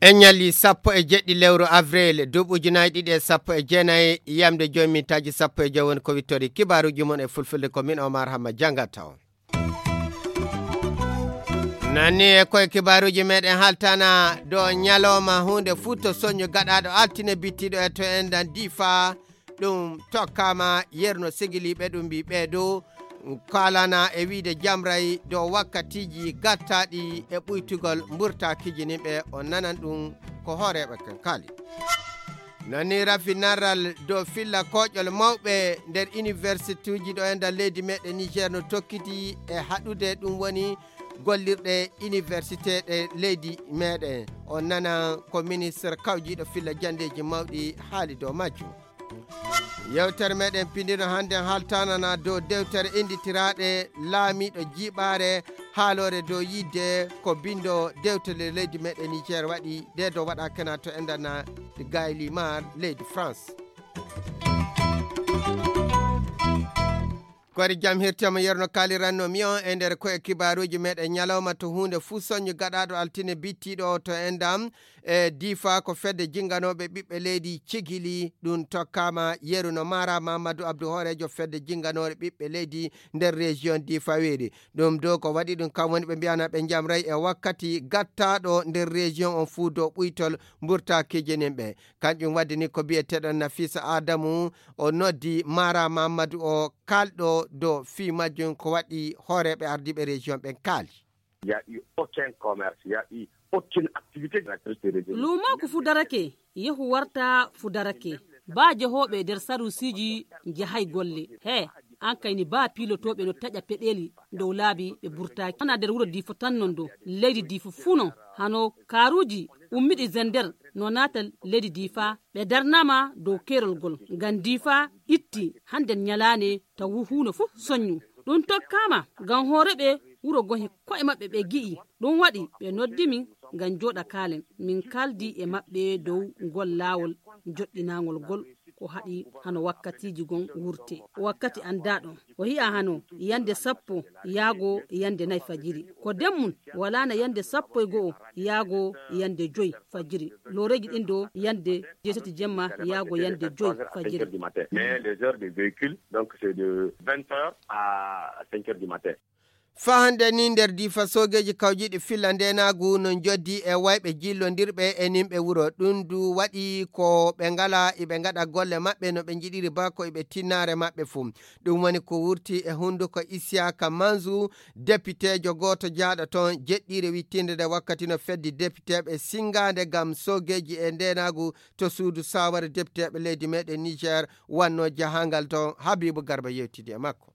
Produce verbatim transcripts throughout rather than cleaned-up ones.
En ñalli sappo e jeɗɗi lewru avril duuɓi ujunaaji ɗiɗi e sappo e jeenayi, yamde joyi mintaaji sappo e joyi woni ko wittori kibaaruuji mon e fulfulde, ko min Omar Hamma janngata on. Nani e koye kibaaruuji meɗen haltana do ñalawma huunde fuu to soñu gaɗaaɗo altine bittiiɗo e to enɗan Difa. Ɗum tokkaama yerno sigiliiɓe ɗum mbi ɓee dow kaalana e wiide jamray dow wakkatiiji gattaaɗi e ɓuytugol mburtaakiiji nin ɓe, on nanan ɗum ko hooreeɓe kan kaali. Nani rafi narral dow filla kooƴol mawɓe nder universitéuji ɗo e nder leydi meɗen Niger no tokkiti e haɗude, ɗum woni gollirɗe université ɗe leydi meɗen. On nana ko ministre kawjiiɗo filla janndeeji mawɗi haali dow majjum. Yewtere meɗen pindino hannde haltanana dow dewtere innditiraaɗe laamiiɗo jiiɓaare, haaloore dow yiɗde ko binndo dewtere leydi meɗen Niger waɗi, nde dow waɗa kena to endana Gaylimar leydi France. Kori jam hirtema yerno kaaliranno mi on e nder koye kibaaruuji meɗen ñalawma to huunde fuu soñu gaɗaaɗo altine bittiiɗo o to endam e Difa ko fedde jinnganooɓe ɓiɓɓe leydi Cigili, ɗum tokkaama yeru no Mara Mamadou Abdou hooreejo fedde jinnganooɗe ɓiɓɓe leydi nder région Difa weeri. Ɗum dow ko waɗi ɗum kam woni ɓe mbiyana ɓe njamray e wakkati gattaaɗo nder région on fuu dow ɓuytol mburtaakiiji nin ɓe. Kanƴum waɗi ni ko biyeteeɗo Nafisa Adamu, o noddi Mara Mamadou o kalɗo dow fii majjum ko waɗi hooreeɓe ardiiɓe région ɓen kaali. Il y a eu aucun commerce, il y a eu aucune activité de la Création de Dieu. Luumaaku fu darake, yehu warta fu darake. Baa jehooɓe nder saruusiiji njahay golle. He, an kayni baa piilotooɓe no taƴa peɗeeli dow laabi ɓe burtaaki. Wona nder wuro Diifo tan non do, leydi Diifo fuu non. Hano kaaruuji ummiɗi Zender no naata leydi Diifa, ɓe darnaama dow keerol gol. Ngam Diifa itti hannden ñalaande tawu huuno fof soññu. Ɗum tokkaama ngam hooreeɓe wuro Gohe ko'e maɓɓe ɓe gi'i. Ɗum waɗi ɓe noddi min ngam jooɗa kaalen. Min kaldi e maɓɓe dow ngol laawol joɗɗinaangol gol ko haɗi hano wakkatiiji gon wurte. Wakkati anndaaɗo. O hi'a hano yande sappo yaago yande nay fajiri. Ko demmum walaana yande sappo e go'o yaago yande joy fajiri. Looreeji ɗin do yande jeetati jemma yaago yande joy fajiri. Mais les heures de véhicule, donc c'est de vingt heures à cinq heures du matin. Faa hannde ni nder Diifa soogeeji kawjiiɗi filla ndeenaagu no njoddi e wayɓe jillondirɓe e nimɓe wuro. Ɗum du waɗi ko ɓe ngala iɓe ngaɗa golle maɓɓe no ɓe njiɗiri baa ko iɓe tinnaare maɓɓe fuu. Ɗum woni ko wurti e hunnduko Isiyaka Manzu, depiteejo gooto jaaɗo toon, jeɗɗiire wittinde nde wakkati no feddi depiteeɓe sinngaande ngam soogeeji e ndeenaagu to suudu saawara depiteeɓe leydi meɗen Niger wannoo jahangal toon. Habibu Garba yewtidi e makko.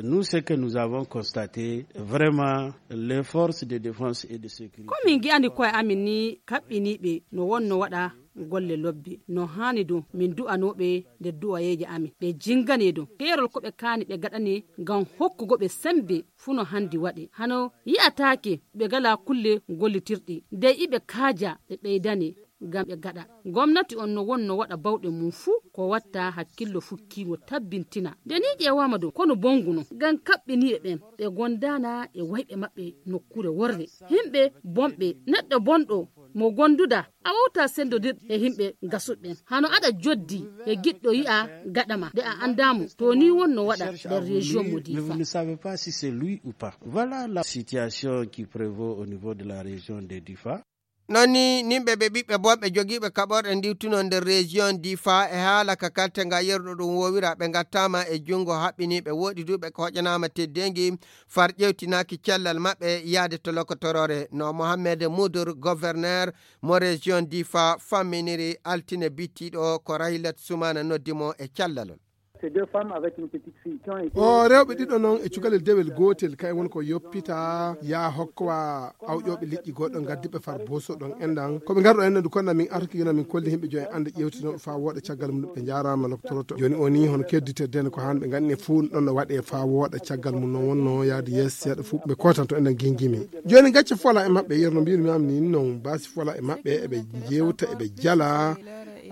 Nous, ce que nous avons constaté, vraiment, les forces de défense et de sécurité. Ko min ngi'ani koye amin ni kaɓɓiniiɓe no wonno waɗa golle lobbi. No haani du, min du'anooɓe nder du'ayeeje amin. Ɓe jinngane du. Keerol ko ɓe kaani ɓe gaɗani ngam hokkugo ɓe semmbe fuu no hanndi waɗe. Hano yi'ataake ɓe ngalaa kulle gollitirɗe. Nde iɓe kaaja ɓe ɓeydane. Ngam ɓe gaɗa. Gomnati on no wonno waɗa bawɗe mum fuu ko watta hakkillo fukkiingo tabbintina. Nde ni ƴeewaama dow, kono bonnguno. Ngam kaɓɓiniiɓe ɓen, ɓe gondaana e wayɓe maɓɓe nokkuure worre. Himɓe bonɓe, neɗɗo bonɗo mo gonduɗa, a wawta senndodirde e himɓe gasuɓe ɓen. Hano aɗa joddi e giɗɗo yi'a gaɗa ma, nde a anndaa mo. To ni wonno waɗa nder région mo Difa. Mais vous ne savez pas si c'est lui ou pas. Voilà la situation qui prévaut au niveau de la région de Difa. Non ni, nimɓe ɓe ɓiɓɓe bonɓe jogiiɓe kaɓorɗe ndiwtuno nder région Difa e haala ka kalte nga yerɗo ɗum wowira ɓe ngattaama e junngo haɓɓiniiɓe woɗi du ɓe ko hoƴanaama teddeengi far ƴewtinaaki cellal maɓɓe yaade to lokotoroore no Mohamed Mudur, gouverneur mo région Difa, famminiri altine bittiiɗo ko Rahilat Sumana noddi mo e callalol. Ces deux femmes avec une petite fille qui ont été. O rewɓe ɗiɗo noon e cukalel dewel gootel, kay won ko yoppita yaa hokkowa awƴooɓe liƴƴi goɗɗo, ngaddiɓe far boso ɗon enɗan. Ko ɓe ngarɗo enɗan du konna min artuki yona min kolli himɓe joyi annde ƴewtinoɓe faa wooɗa caggal mum ɓe njaaraama loktoroto. Jooni o ni hono keddite den ko haan ɓe nganni fuu ɗon no waɗe faa wooɗa caggal mum noon wonno yaade yeeso seeɗa fuu ɓe kootanto enɗan gingimi. Jooni gacce fola e maɓɓe yerno mbiɗo mi am ni noon basi fola e maɓɓe eɓe jewta eɓe jala.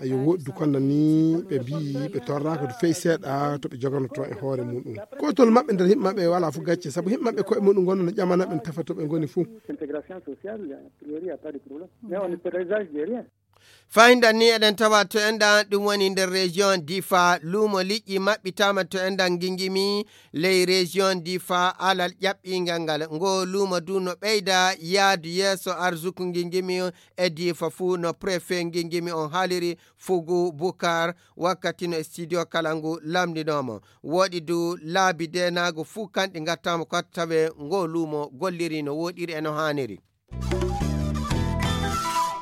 Ayo, woɗɗi du kono ni ɓe mbiyi ɓe torraaka du fey seeɗa to ɓe jogano toon e hoore muɗum. Kootol maɓɓe nder himɓe maɓɓe wala fu gacce, sabu himɓe maɓɓe koye muɗum gonno no ƴamana ɓe tefa to ɓe ngoni fu. Fahindan ni eɗen tawa to enɗan ɗum woni nder région Difa, luumo liƴƴi maɓɓitaama to enɗan Ngingimi, ley région Difa alal ƴaɓɓingal ngal. Ngo luumo du no ɓeyda yaadu yeeso arzuku Ngingimi e Difa fuu no préfet Ngingimi on haaliri Fugu Bukar wakkati no e studio kala ngu lamndinoomo. Woɗi du laabi deenaagu fuu kanɗi ngattaama ko tawe ngo luumo golliri no woɗiri e no haaniri.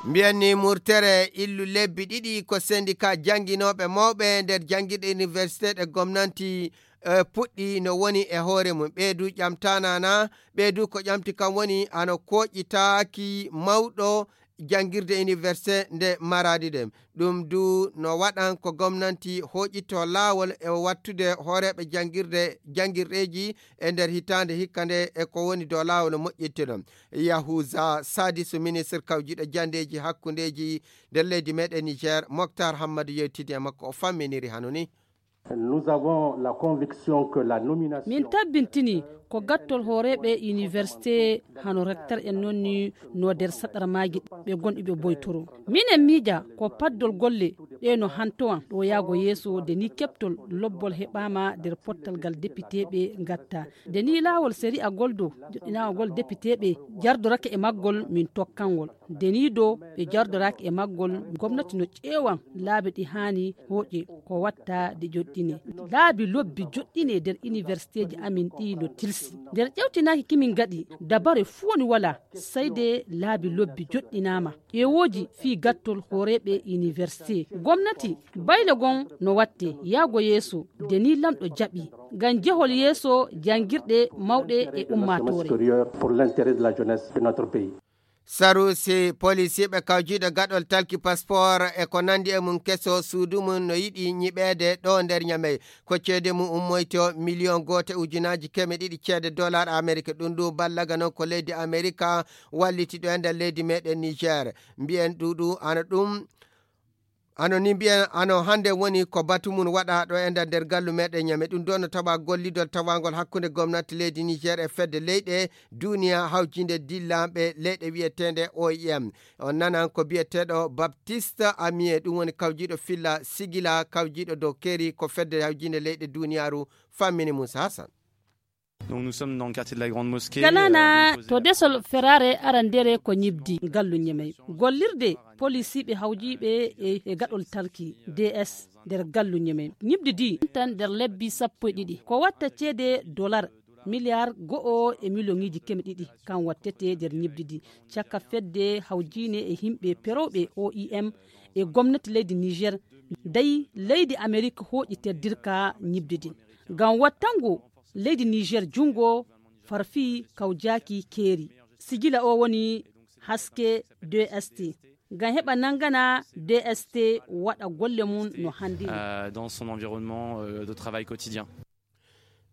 Mbiyen ni murtere illu lebbi ɗiɗi ko syndicat jannginooɓe mawɓe nder janngirɗe université ɗe gomnanti, eh, puɗɗi no woni e hoore mum. Ɓee du ƴamtaanana, ɓee du ko ƴamti kam woni ano kooƴitaaki mawɗo janngirde université nde Maradi ɗen. Ɗum du no waɗan ko gomnanti hooƴitto laawol e wattude hooreeɓe janngirde, janngirɗeeji e nder hitaande hikka nde e ko woni dow laawol moƴƴittuɗo. Yahuza Sadisu, ministre kawjiɗo janndeeji hakkundeeji nder leydi meɗen Niger, Moktar Hammadu yewtidi e makko, o famminiri hano ni. Nous avons la conviction que la nomination Min tabbintini ko gattol hooreeɓe université hano recteur en noon ni no nder saɗarmaaji ɓe gonɗi ɓe boytoro. Minen miija ko paddol golle ɗe no hantowan ɗo yaago yeeso de ni keɓtol lobbol heɓaama nder pottal ngal député ɓe ngatta. De ni laawol sariya gol do joɗɗinaagol député ɓe jardorake e maggol min tokkangol. De ni do ɓe jardoraaki e maggol, gomnati no ƴeewan laabi ɗi haani hooƴe ko watta de joɗɗine. Laabi lobbi joɗɗine nder universitéji amin ɗi no tilsi. Nder ƴewtinaaki kimin ngaɗi, dabare fuu woni wala, sayde laabi lobbi joɗɗinaama. Ƴeewooji fii gattol hooreeɓe université. Gomnati bayle gon no watte, yaago yeeso, de ni lamɗo jaɓi. Ngam jehol yeeso janngirɗe mawɗe e ummaatoore. Pour l'intérêt de la jeunesse de notre pays. Sarusi polisiiɓe kawjiiɗo gaɗol talki passeport e ko nanndi e mum keso suudu mum no yiɗi ñiɓeede ɗo nder Ñamey. Ko ceede mum ummoyto miliyon gooto e ujunaaji keme ɗiɗi ceede dollar Amerik. Ɗum ɗum ballaga noon ko leydi Amerika walliti ɗo e nder leydi meɗen Niger. Mbiyen ɗuɗu ana ɗum, ano ni mbiyen, ano hannde woni ko batu mum waɗa ɗo e nder, nder gallu meɗen Ñamey. Ɗum ɗo no tawa gollidol tawangol hakkunde gomnati leydi Niger e fedde leyɗe duniya hawjinde dillanɓe leyɗe wiyeteende O I M. On nanan ko biyeteeɗo Baptiste Amie, ɗum woni kawjiiɗo filla sigila kawjiiɗo dow keeri ko fedde hawjinde leyɗe duniyaaru fammini Moussa Hassan. Donc nous sommes dans le quartier de la Grande Mosquée, Ganana euh, to desol ferare arandere ko ñibdi gallu Ñamey. Gollirde polisiiɓe hawjiiɓe e, e gaɗol talki D S nder gallu Ñamey. Ñibdi di tan nder lebbi sappo e ɗiɗi. Ko watta ceede dollar miliyar go'o e miliyoŋiiji keme ɗiɗi kan wattete nder ñibdi di. Caka fedde hawjiine e himɓe perowɓe O I M e gomnati leydi Niger dayi leydi Amerik hooƴi teddirka ñibdi di. Ngam wattango leydi Niger junngo farfi kawjaaki keeri. Sigila o woni haske D S T. Ngam heɓa nangana D S T waɗa golle mum no hanndiri. Euh, dans son environnement, euh, de travail quotidien.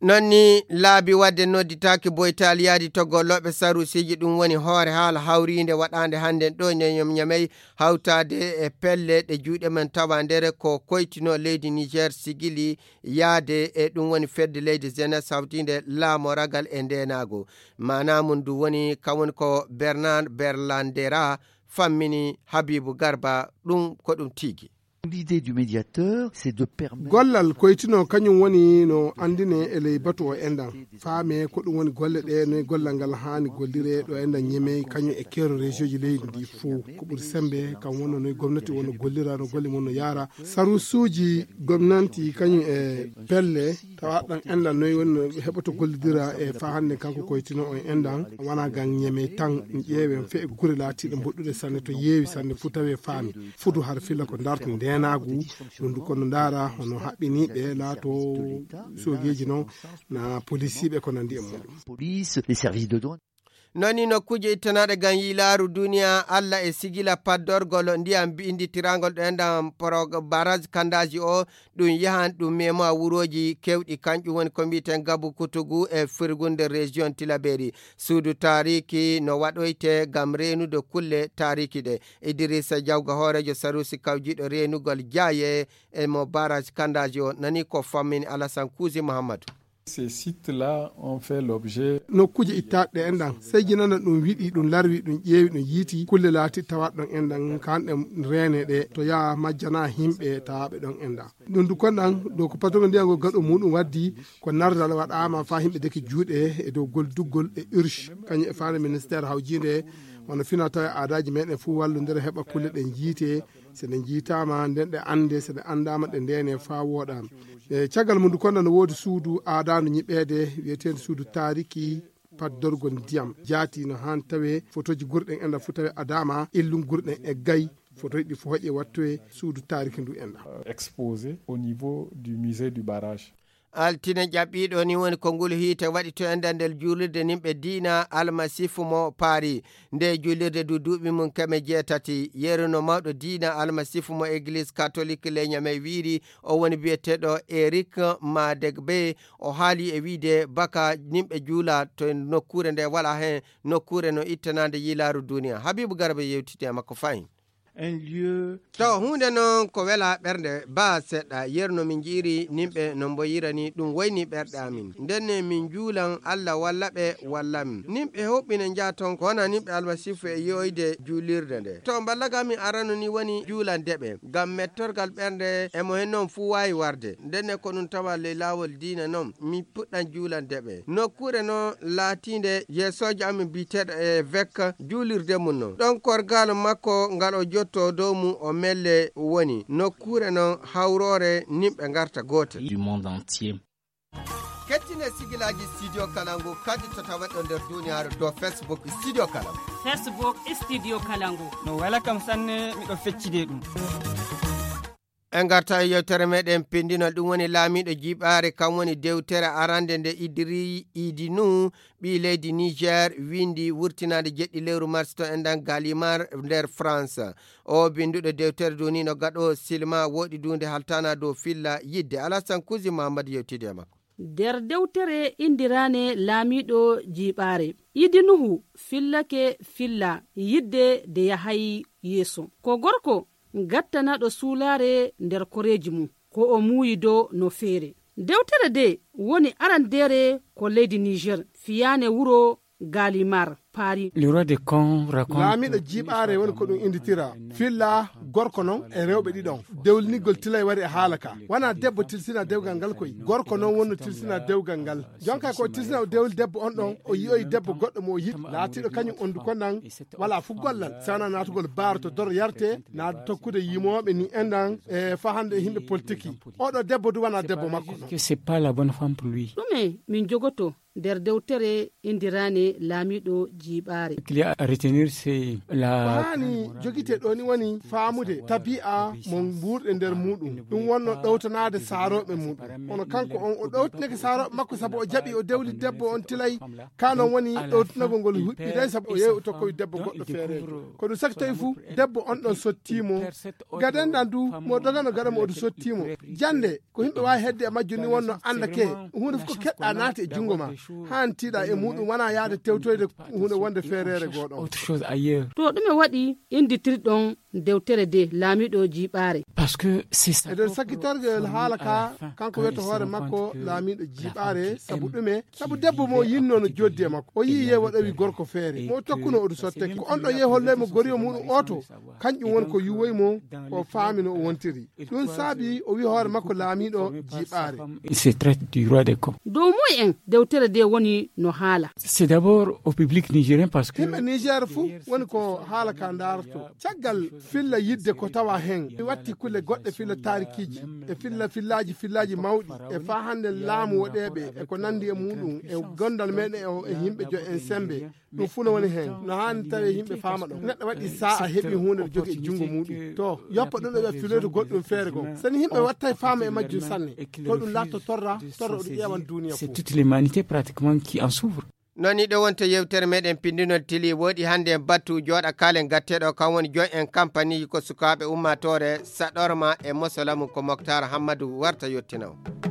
Non ni laabi wadde nodditaaki boytaali yaadi to gollooɓe sarusiiji, ɗum woni hoore haala hawriinde waɗaande hannden ɗo ñeñom Ñamey hawtaade e pelle ɗe juuɗe men tawa ndere ko koytino leydi Niger sigili yaade e ɗum woni fedde leydi jeunesse hawtiinde laamoragal e ndeenaagu. Maanaa mum ndu woni kam woni ko Bernard Berlandera fammini Habibu Garba ɗum ko ɗum tigi. L'idée du médiateur, c'est de permettre Gollal koytino kañum woni no anndine e ley batu o enɗan. Faame ko ɗum woni golle ɗe, noy gollal ngal haani gollire ɗo enɗan Ñamey kañum e keero région ji leydi ndi fof. Ko ɓuri sembe kam wonno noy gomnati wonno gollira no golle mum no yaara. Sarusuuji gomnanti kañum e pelle tawa ɗan enɗan noy woni no heɓoto gollidira e fa hannde kanko koytino on enɗan. Wona gan Ñamey tan, ƴeewen fe e gure laatiiɗe mboɗɗuɗe sanne to yeewi sanne fof tawi faami. Fudu har filla ko darto ndeenaagu, ɗum du kono ndaara hono haɓɓiniiɓe laato soogeeji noon, na polisiiɓe ko nanndi e muɗum. Police, les services de douane. Noni nokkuuje ittanaaɗe ngam yiilaaru duniya, Alla e sigila paddorgol ndiyam binnditiraangol ɗo enɗam baraj kandaaji o, ɗum yahan ɗum mema wurooji keewɗi, kanƴum woni ko mbiiten gabu kutugu e firgunde région Tilaberi. Suudu taariki no waɗoyte ngam reenude kulle taariki ɗe. Idrissa Diawga, hooreejo saruusi kawjiiɗo reenugol jaaye e mo baraj kandaaji o, nani ko fammini Alasan Kuusi Mahammadu. Ces sites-là ont fait l'objet. Nokkuuje ittaaɗe ɗe enɗan, sey jinana ɗum wiɗi, ɗum larwi, ɗum ƴeewi, ɗum yiiti, kulle laati tawaɗ ɗon enɗan, kanɗe reene ɗe, to yaa majjana himɓe tawaaɓe ɗon enɗan. Ɗum du konɗan, ɗo ko patron ndiyan go gaɗo muɗum waddi, ko nardal waɗaama faa himɓe deki juuɗe e dow golduggol e urge, kañum e faande ministère hawjiinde, wano fina tawa e aadaaji meɗen fuu wallondira heɓa kulle ɗen jiite, so ɗe njiitaama, nden ɗe annde, so ɗe anndaama, ɗe ndeene faa wooɗaama. E caggal mum du konɗan no woodi suudu aadaandu ñiɓeede, wiyeteendu suudu taariki paddorgol ndiyam. Jaati no haan tawe fotooji gurɗen enɗan fuu tawe adaama, illum gurɗen e gay, fotooji ɗi fuu hoƴe wattoye suudu taariki ndu enɗan. Exposé au niveau du musée du barrage. Altine ƴaɓɓiiɗo ni woni ko ngol hiite waɗi to enɗan nder juulirde nimɓe diina Almasiifu mo Paari. Nde juulirde du duuɓi mum keme jeetati. Yeru no mawɗo diina Almasiifu mo Eglise Katolik Leñame wiiri, o woni biyeteeɗo Eric Madegbe. O haali e wiide baka nimɓe juula to nokkuure nde wala heen nokkuure no ittanaande yiilaaru duniya. Habibu Garba yewtiti e makko fayin. Un lieu. To huunde noon ko wela ɓernde baa seɗɗa, yeru no min njiiri nimɓe no mboyirani, ɗum woyni ɓerɗe amin. Ndenne min njuulan, Alla walla ɓe, walla min. Nimɓe hoɓɓi ne njaha toon, ko wona nimɓe Almasiifu e yi'oyde juulirde nde. To mballagol amin arano ni woni juulan deɓe, ngam mettorgal ɓernde e mo heen noon fuu waawi warde. Ndenne ko ɗum tawa ley laawol diina noon, min puɗɗan juulan deɓe. Nokkuure noon laatiinde yeesoojo amin biyeteeɗo Évêque juulirde mum noon. Ɗon korgal makko ngal o jotto dow mum o melle woni. Nokkuure noon hawroore nimɓe ngarta gootel. Du monde entier. Kettine sigilaaji Studio Kalangu kadi to tawa ɗo nder duniyaaru dow Facebook Studio Kalangu. Facebook Studio Kalangu. No wela kam sanne, miɗo feccide ɗum. En ngarta e yewtere meɗen pindinol, ɗum woni laamiiɗo jiiɓaare, kam woni dewtere arande nde Idri Idinu, ɓii leydi Niger, windi wurtinaande jeɗɗi lewru mars to enɗan Galimar nder France. O binduɗo dewtere du ni no gaɗo silma woɗi du nde haltana dow filla yidde. Alasan Kuzi Mahammad yewtidi e makko. Nder dewtere indirane laamiiɗo jiiɓaare, Idi Nuhu fillake filla yidde de yahay yeeso. Ko gorko gattanaɗo suulaare nder koreeji mum, ko o muuyi do no feere. Dewtere de woni arandeere ko leydi Niger, fiyaane wuro Galimar, Paris. Le roi de Con raconte. Laamiiɗo jiiɓaare woni ko ɗum inditira. Filla gorko noon e rewɓe ɗiɗon. Dewlinigol tilay wari e haala ka. Wona debbo tilsina dewgal ngal koy. Gorko noon wonno tilsina dewgal ngal. Jonka ko tilsina o dewli debbo on ɗon, o yi'oyi debbo goɗɗo mo o yiɗi. Laatiiɗo kañum on du konnan wala fu gollal. Sana naatugol baaro to dor yarte, na tokkude yimooɓe ni enɗan e fa hande e himɓe politiki. Oɗo debbo du wona debbo makko noon. Que c'est pas la bonne femme pour lui. Ɗume min jogoto nder dewtere indirane laamiiɗo jiiɓaare. Qu'il y a à retenir, c'est la. Ko haani jogite ɗo ni woni faamude tabi'a mo mbuurɗe nder muɗum. Ɗum wonno ɗowtanaade saarooɓe muɗum. Kono kanko on o ɗowtinake saarooɓe makko sabu o jaɓi o dewli debbo on tilay. Ka non woni ɗowtinagol ngol huɓɓiday sabu o yehi o tokkoyi debbo goɗɗo feereejo. Ko ɗum saki tawi fuu debbo on ɗon sottiimo. Gaden ɗan du mo dogano gaɗa mo o du sottiimo. Jannde ko yimɓe waawi hedde e majjum ni wonno annda ke huunde fof ko keɗɗa naati e junngo ma. Haan tiiɗa e muɗum wona yaade tewtoyde huunde wonde feereere gooɗo. Autre chose ailleurs. To ɗume waɗi innditirɗon dewtere de laamiiɗo jiiɓaare? Parce que c'est ça. E nder sakkitorgel haala ka kanko wiyata hoore makko laamiiɗo jiiɓaare. Sabu ɗume? Sabu debbo mo yinno no joddi e makko, o yii yeewa ɗawi gorko feere mo tokkuno oɗo sotteke, ko on ɗo yeewa holloy mo goriyo muɗum oto. Kanƴum woni ko yuwoy mo, o faami no o wontiri. Ɗum saabi o wi hoore makko laamiiɗo jiiɓaare. Il se traite du roi des cons. Dow moy en dewtere de woni no haala? C'est d'abord au public nigérien parce que yimɓe Niger fuu woni ko haala ka ndaarto. Caggal filla yidde ko tawa heen mi watti kulle goɗɗe filla taarikiiji e filla fillaaji fillaaji mawɗi e faa hannde laamu woɗeeɓe e ko nanndi e muɗum e gondal meɗen e yimɓe jo en sembe. Ɗum fuu no woni heen no haani tawi yimɓe faama ɗon neɗɗo waɗi saa a heɓi huunde no jogi e junngo muɗum to yoppa ɗum ɗo ɓe filoyto goɗɗum feere goo sani yimɓe wattay faama e majjum sanne. To ɗum laatto torra torra oɗo ƴeewan duuniya fof. C'est toute l'humanité pratiquement qui en souffre. Noon ni ɗo wonto yewtere meɗen pindunol tili woɗi hannde en battu jooɗa kaalen gatteɗo kan woni joy en kampaniji ko sukaaɓe ummaatoore saɗorma e mosolamu ko Moktar Hammadu warta yottina on.